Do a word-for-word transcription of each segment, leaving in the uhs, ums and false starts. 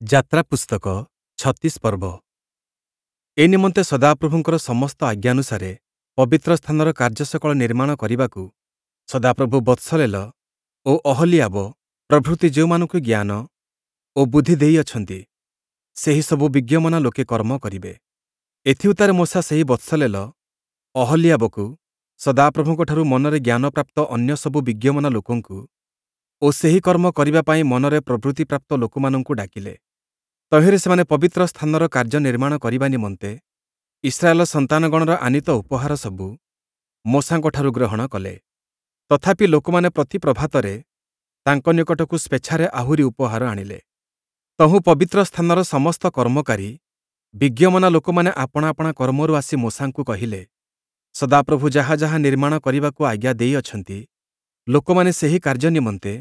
ଯାତ୍ରା ପୁସ୍ତକ ଛତିଶ ପର୍ବ। ଏ ନିମନ୍ତେ ସଦାପ୍ରଭୁଙ୍କର ସମସ୍ତ ଆଜ୍ଞାନୁସାରେ ପବିତ୍ର ସ୍ଥାନର କାର୍ଯ୍ୟ ସକଳ ନିର୍ମାଣ କରିବାକୁ ସଦାପ୍ରଭୁ ବତ୍ସଲେଲ ଓ ଅହଲୀୟାବ ପ୍ରଭୃତି ଯେଉଁମାନଙ୍କୁ ଜ୍ଞାନ ଓ ବୁଦ୍ଧି ଦେଇଅଛନ୍ତି, ସେହିସବୁ ବିଜ୍ଞମନା ଲୋକେ କର୍ମ କରିବେ। ଏଥିଉତ୍ତାରେ ମୋଶା ସେହି ବତ୍ସଲେଲ, ଅହଲୀୟାବକୁ ସଦାପ୍ରଭୁଙ୍କଠାରୁ ମନରେ ଜ୍ଞାନପ୍ରାପ୍ତ ଅନ୍ୟ ସବୁ ବିଜ୍ଞମନା ଲୋକଙ୍କୁ ଓ ସେହି କର୍ମ କରିବା ପାଇଁ ମନରେ ପ୍ରବୃତ୍ତିପ୍ରାପ୍ତ ଲୋକମାନଙ୍କୁ ଡାକିଲେ। ତହିଁରେ ସେମାନେ ପବିତ୍ର ସ୍ଥାନର କାର୍ଯ୍ୟ ନିର୍ମାଣ କରିବା ନିମନ୍ତେ ଇସ୍ରାଏଲ ସନ୍ତାନଗଣର ଆନୀତ ଉପହାର ସବୁ ମୋଶାଙ୍କଠାରୁ ଗ୍ରହଣ କଲେ। ତଥାପି ଲୋକମାନେ ପ୍ରତି ପ୍ରଭାତରେ ତାଙ୍କ ନିକଟକୁ ସ୍ୱେଚ୍ଛାରେ ଆହୁରି ଉପହାର ଆଣିଲେ। ତହୁଁ ପବିତ୍ର ସ୍ଥାନର ସମସ୍ତ କର୍ମକାରୀ ବିଜ୍ଞମନା ଲୋକମାନେ ଆପଣା ଆପଣା କର୍ମରୁ ଆସି ମୋଶାଙ୍କୁ କହିଲେ, ସଦାପ୍ରଭୁ ଯାହା ଯାହା ନିର୍ମାଣ କରିବାକୁ ଆଜ୍ଞା ଦେଇଅଛନ୍ତି, ଲୋକମାନେ ସେହି କାର୍ଯ୍ୟ ନିମନ୍ତେ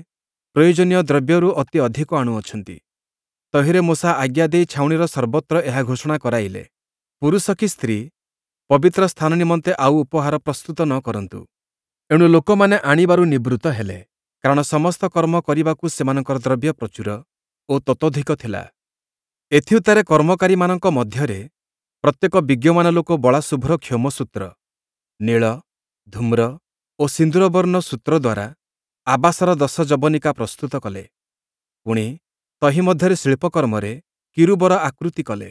ପ୍ରୟୋଜନୀୟ ଦ୍ରବ୍ୟରୁ ଅତି ଅଧିକ ଆଣୁଅଛନ୍ତି। ତହିଁରେ ମୋଶା ଆଜ୍ଞା ଦେଇ ଛାଉଣିର ସର୍ବତ୍ର ଏହା ଘୋଷଣା କରାଇଲେ, ପୁରୁଷ କି ସ୍ତ୍ରୀ ପବିତ୍ର ସ୍ଥାନ ନିମନ୍ତେ ଆଉ ଉପହାର ପ୍ରସ୍ତୁତ ନ କରନ୍ତୁ। ଏଣୁ ଲୋକମାନେ ଆଣିବାରୁ ନିବୃତ୍ତ ହେଲେ, କାରଣ ସମସ୍ତ କର୍ମ କରିବାକୁ ସେମାନଙ୍କର ଦ୍ରବ୍ୟ ପ୍ରଚୁର ଓ ତତୋଧିକ ଥିଲା। ଏଥିଉତ୍ତାରେ କର୍ମକାରୀମାନଙ୍କ ମଧ୍ୟରେ ପ୍ରତ୍ୟେକ ବିଜ୍ଞମାନ ଲୋକ ବଳା ଶୁଭ୍ର କ୍ଷୌମସୂତ୍ର, ନୀଳ, ଧୂମ୍ର ଓ ସିନ୍ଦୂରବର୍ଣ୍ଣ ସୂତ୍ର ଦ୍ୱାରା ଆବାସର ଦଶ ଯବନିକା ପ୍ରସ୍ତୁତ କଲେ। ପୁଣି ତହିଁ ମଧ୍ୟରେ ଶିଳ୍ପକର୍ମରେ କିରୂବର ଆକୃତି କଲେ।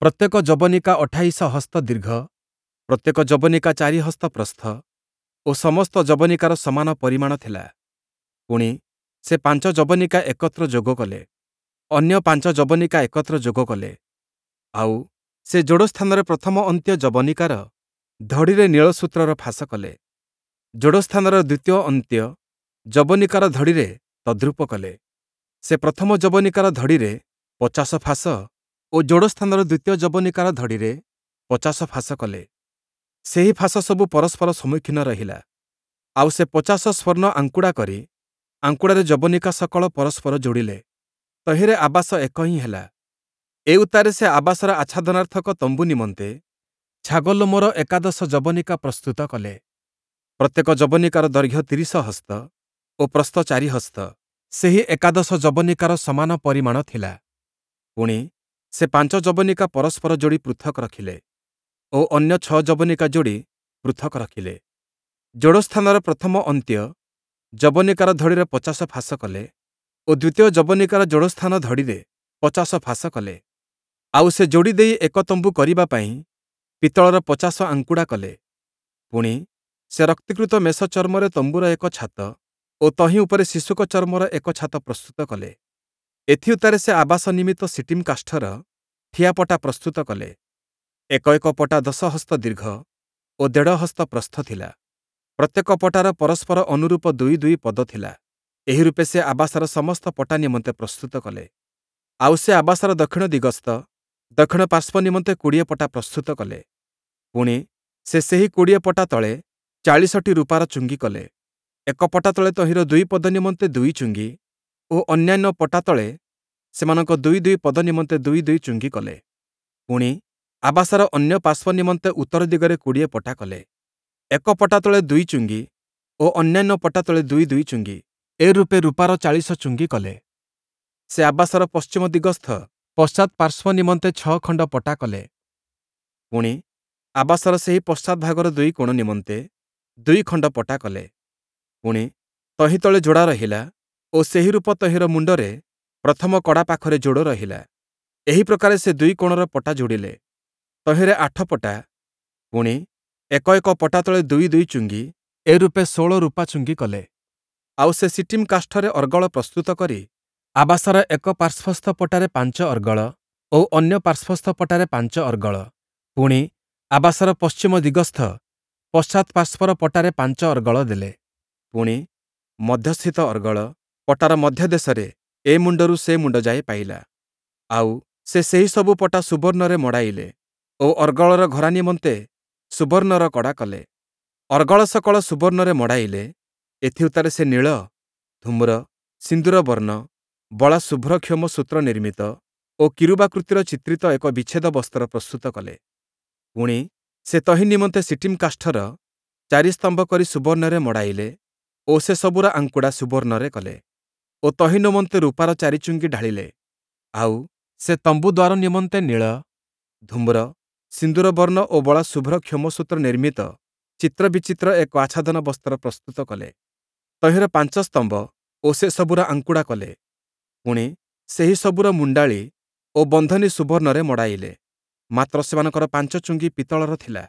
ପ୍ରତ୍ୟେକ ଯବନିକା ଅଠାଇଶ ହସ୍ତ ଦୀର୍ଘ, ପ୍ରତ୍ୟେକ ଯବନିକା ଚାରି ହସ୍ତ ପ୍ରସ୍ଥ ଓ ସମସ୍ତ ଯବନିକାର ସମାନ ପରିମାଣ ଥିଲା। ପୁଣି ସେ ପାଞ୍ଚ ଯବନିକା ଏକତ୍ର ଯୋଗ କଲେ, ଅନ୍ୟ ପାଞ୍ଚ ଯବନିକା ଏକତ୍ର ଯୋଗ କଲେ। ଆଉ ସେ ଯୋଡ଼ସ୍ଥାନରେ ପ୍ରଥମ ଅନ୍ତ୍ୟ ଯବନିକାର ଧଡ଼ିରେ ନୀଳ ସୂତ୍ରର ଫାଶ କଲେ। ଯୋଡ଼ସ୍ଥାନର ଦ୍ୱିତୀୟ ଅନ୍ତ୍ୟ ଯବନିକାର ଧଡ଼ିରେ ତଦ୍ରୂପ କଲେ। ସେ ପ୍ରଥମ ଯବନିକାର ଧଡ଼ିରେ ପଚାଶ ଫାଶ ଓ ଯୋଡ଼ସ୍ଥାନର ଦ୍ୱିତୀୟ ଯବନିକାର ଧଡ଼ିରେ ପଚାଶ ଫାଶ କଲେ। ସେହି ଫାଶ ସବୁ ପରସ୍ପର ସମ୍ମୁଖୀନ ରହିଲା। ଆଉ ସେ ପଚାଶ ସ୍ୱର୍ଣ୍ଣ ଆଙ୍କୁଡ଼ା କରି ଆଙ୍କୁଡ଼ାରେ ଯବନିକା ସକଳ ପରସ୍ପର ଯୋଡ଼ିଲେ। ତହିଁରେ ଆବାସ ଏକ ହିଁ ହେଲା। ଏ ଉତ୍ତାରେ ସେ ଆବାସର ଆଚ୍ଛାଦନାର୍ଥକ ତମ୍ବୁ ନିମନ୍ତେ ଛାଗଲୋମର ଏକାଦଶ ଯବନିକା ପ୍ରସ୍ତୁତ କଲେ। ପ୍ରତ୍ୟେକ ଯବନିକାର ଦୈର୍ଘ୍ୟ ତିରିଶ ହସ୍ତ ଓ ପ୍ରସ୍ଥ ଚାରି ହସ୍ତ। ସେହି ଏକାଦଶ ଯବନିକାର ସମାନ ପରିମାଣ ଥିଲା। ପୁଣି ସେ ପାଞ୍ଚ ଯବନିକା ପରସ୍ପର ଯୋଡ଼ି ପୃଥକ୍ ରଖିଲେ ଓ ଅନ୍ୟ ଛଅ ଯବନିକା ଯୋଡ଼ି ପୃଥକ୍ ରଖିଲେ। ଯୋଡ଼ସ୍ଥାନର ପ୍ରଥମ ଅନ୍ତ୍ୟ ଯବନିକାର ଧଡ଼ିରେ ପଚାଶ ଫାଶ କଲେ ଓ ଦ୍ୱିତୀୟ ଯବନିକାର ଯୋଡ଼ସ୍ଥାନ ଧଡ଼ିରେ ପଚାଶ ଫାଶ କଲେ। ଆଉ ସେ ଯୋଡ଼ି ଦେଇ ଏକ ତମ୍ବୁ କରିବା ପାଇଁ ପିତ୍ତଳର ପଚାଶ ଆଙ୍କୁଡ଼ା କଲେ। ପୁଣି ସେ ରକ୍ତୀକୃତ ମେଷ ଚର୍ମରେ ତମ୍ବୁର ଏକ ଛାତ ଓ ତହିଁ ଉପରେ ଶିଶୁକ ଚର୍ମର ଏକ ଛାତ ପ୍ରସ୍ତୁତ କଲେ। ଏଥିଉତ୍ତାରେ ସେ ଆବାସ ନିମିତ୍ତ ଶିଟୀମ୍ କାଷ୍ଠର ଠିଆପଟା ପ୍ରସ୍ତୁତ କଲେ। ଏକ ଏକ ପଟା ଦଶ ହସ୍ତ ଦୀର୍ଘ ଓ ଦେଢ଼ ହସ୍ତ ପ୍ରସ୍ଥ ଥିଲା। ପ୍ରତ୍ୟେକ ପଟାର ପରସ୍ପର ଅନୁରୂପ ଦୁଇ ଦୁଇ ପଦ ଥିଲା। ଏହି ରୂପେ ସେ ଆବାସର ସମସ୍ତ ପଟା ନିମନ୍ତେ ପ୍ରସ୍ତୁତ କଲେ। ଆଉ ସେ ଆବାସର ଦକ୍ଷିଣ ଦିଗସ୍ଥ ଦକ୍ଷିଣ ପାର୍ଶ୍ୱ ନିମନ୍ତେ କୋଡ଼ିଏ ପଟା ପ୍ରସ୍ତୁତ କଲେ। ପୁଣି ସେ ସେହି କୋଡ଼ିଏ ପଟା ତଳେ ଚାଳିଶଟି ରୂପାର ଚୁଙ୍ଗି କଲେ। ଏକ ପଟା ତଳେ ତହିଁର ଦୁଇ ପଦ ନିମନ୍ତେ ଦୁଇ ଚୁଙ୍ଗି ଓ ଅନ୍ୟାନ୍ୟ ପଟା ତଳେ ସେମାନଙ୍କ ଦୁଇ ଦୁଇ ପଦ ନିମନ୍ତେ ଦୁଇ ଦୁଇ ଚୁଙ୍ଗି କଲେ। ପୁଣି ଆବାସର ଅନ୍ୟ ପାର୍ଶ୍ୱ ନିମନ୍ତେ ଉତ୍ତର ଦିଗରେ କୋଡ଼ିଏ ପଟା କଲେ। ଏକ ପଟା ତଳେ ଦୁଇ ଚୁଙ୍ଗି ଓ ଅନ୍ୟାନ୍ୟ ପଟା ତଳେ ଦୁଇ ଦୁଇ ଚୁଙ୍ଗି, ଏ ରୂପେ ରୂପାର ଚାଳିଶ ଚୁଙ୍ଗି କଲେ। ସେ ଆବାସର ପଶ୍ଚିମ ଦିଗସ୍ଥ ପଶ୍ଚାତ୍ ପାର୍ଶ୍ୱ ନିମନ୍ତେ ଛଅ ଖଣ୍ଡ ପଟା କଲେ। ପୁଣି ଆବାସର ସେହି ପଶ୍ଚାତ୍ ଭାଗର ଦୁଇ କୋଣ ନିମନ୍ତେ ଦୁଇ ଖଣ୍ଡ ପଟା କଲେ। ପୁଣି ତହିଁ ତଳେ ଯୋଡ଼ା ରହିଲା ଓ ସେହି ରୂପ ତହିଁର ମୁଣ୍ଡରେ ପ୍ରଥମ କଡ଼ା ପାଖରେ ଯୋଡ଼ ରହିଲା। ଏହି ପ୍ରକାରେ ସେ ଦୁଇ କୋଣର ପଟା ଯୋଡ଼ିଲେ। ତହିଁରେ ଆଠ ପଟା, ପୁଣି ଏକ ଏକ ପଟା ତଳେ ଦୁଇ ଦୁଇ ଚୁଙ୍ଗି, ଏ ରୂପେ ଷୋଳ ରୂପା ଚୁଙ୍ଗି କଲେ। ଆଉ ସେ ଶିଟୀମ୍ କାଷ୍ଠରେ ଅର୍ଗଳ ପ୍ରସ୍ତୁତ କରି ଆବାସର ଏକ ପାର୍ଶ୍ୱସ୍ଥ ପଟାରେ ପାଞ୍ଚ ଅର୍ଗଳ ଓ ଅନ୍ୟ ପାର୍ଶ୍ୱସ୍ଥ ପଟାରେ ପାଞ୍ଚ ଅର୍ଗଳ, ପୁଣି ଆବାସର ପଶ୍ଚିମ ଦିଗସ୍ଥ ପଶ୍ଚାତ୍ ପାର୍ଶ୍ୱର ପଟାରେ ପାଞ୍ଚ ଅର୍ଗଳ ଦେଲେ। ପୁଣି ମଧ୍ୟସ୍ଥିତ ଅର୍ଗଳ ପଟାର ମଧ୍ୟଦେଶରେ ଏ ମୁଣ୍ଡରୁ ସେ ମୁଣ୍ଡ ଯାଏ ପାଇଲା। ଆଉ ସେ ସେହି ସବୁ ପଟା ସୁବର୍ଣ୍ଣରେ ମଡ଼ାଇଲେ ଓ ଅର୍ଗଳର ଘରା ନିମନ୍ତେ ସୁବର୍ଣ୍ଣର କଡ଼ା କଲେ। ଅର୍ଗଳ ସକଳ ସୁବର୍ଣ୍ଣରେ ମଡ଼ାଇଲେ। ଏଥିଉତ୍ତାରେ ସେ ନୀଳ, ଧୂମ୍ର, ସିନ୍ଦୂରବର୍ଣ୍ଣ, ବଳା ଶୁଭ୍ର କ୍ଷୌମ ସୂତ୍ର ନିର୍ମିତ ଓ କିରୂବାକୃତିର ଚିତ୍ରିତ ଏକ ବିଚ୍ଛେଦ ବସ୍ତ୍ର ପ୍ରସ୍ତୁତ କଲେ। ପୁଣି ସେ ତହିଁ ନିମନ୍ତେ ଶିଟୀମ୍ କାଷ୍ଠର ଚାରି ସ୍ତମ୍ଭ କରି ସୁବର୍ଣ୍ଣରେ ମଡ଼ାଇଲେ ଓ ସେ ସବୁର ଆଙ୍କୁଡ଼ା ସୁବର୍ଣ୍ଣରେ କଲେ ଓ ତହିଁ ନିମନ୍ତେ ରୂପାର ଚାରି ଚୁଙ୍ଗି ଢାଳିଲେ। ଆଉ ସେ ତମ୍ବୁ ଦ୍ୱାର ନିମନ୍ତେ ନୀଳ, ଧୂମ୍ର, ସିନ୍ଦୂରବର୍ଣ୍ଣ ଓ ବଳା ଶୁଭ୍ର କ୍ଷୌମସୂତ୍ର ନିର୍ମିତ ଚିତ୍ର ବିଚିତ୍ର ଏକ ଆଚ୍ଛାଦନ ବସ୍ତ୍ର ପ୍ରସ୍ତୁତ କଲେ। ତହିଁର ପାଞ୍ଚ ସ୍ତମ୍ଭ ଓ ସେସବୁର ଆଙ୍କୁଡ଼ା କଲେ। ପୁଣି, ସେହିସବୁର ମୁଣ୍ଡାଳି ଓ ବନ୍ଧନୀ ସୁବର୍ଣ୍ଣରେ ମଡ଼ାଇଲେ। ମାତ୍ର ସେମାନଙ୍କର ପାଞ୍ଚ ଚୁଙ୍ଗୀ ପିତ୍ତଳର ଥିଲା।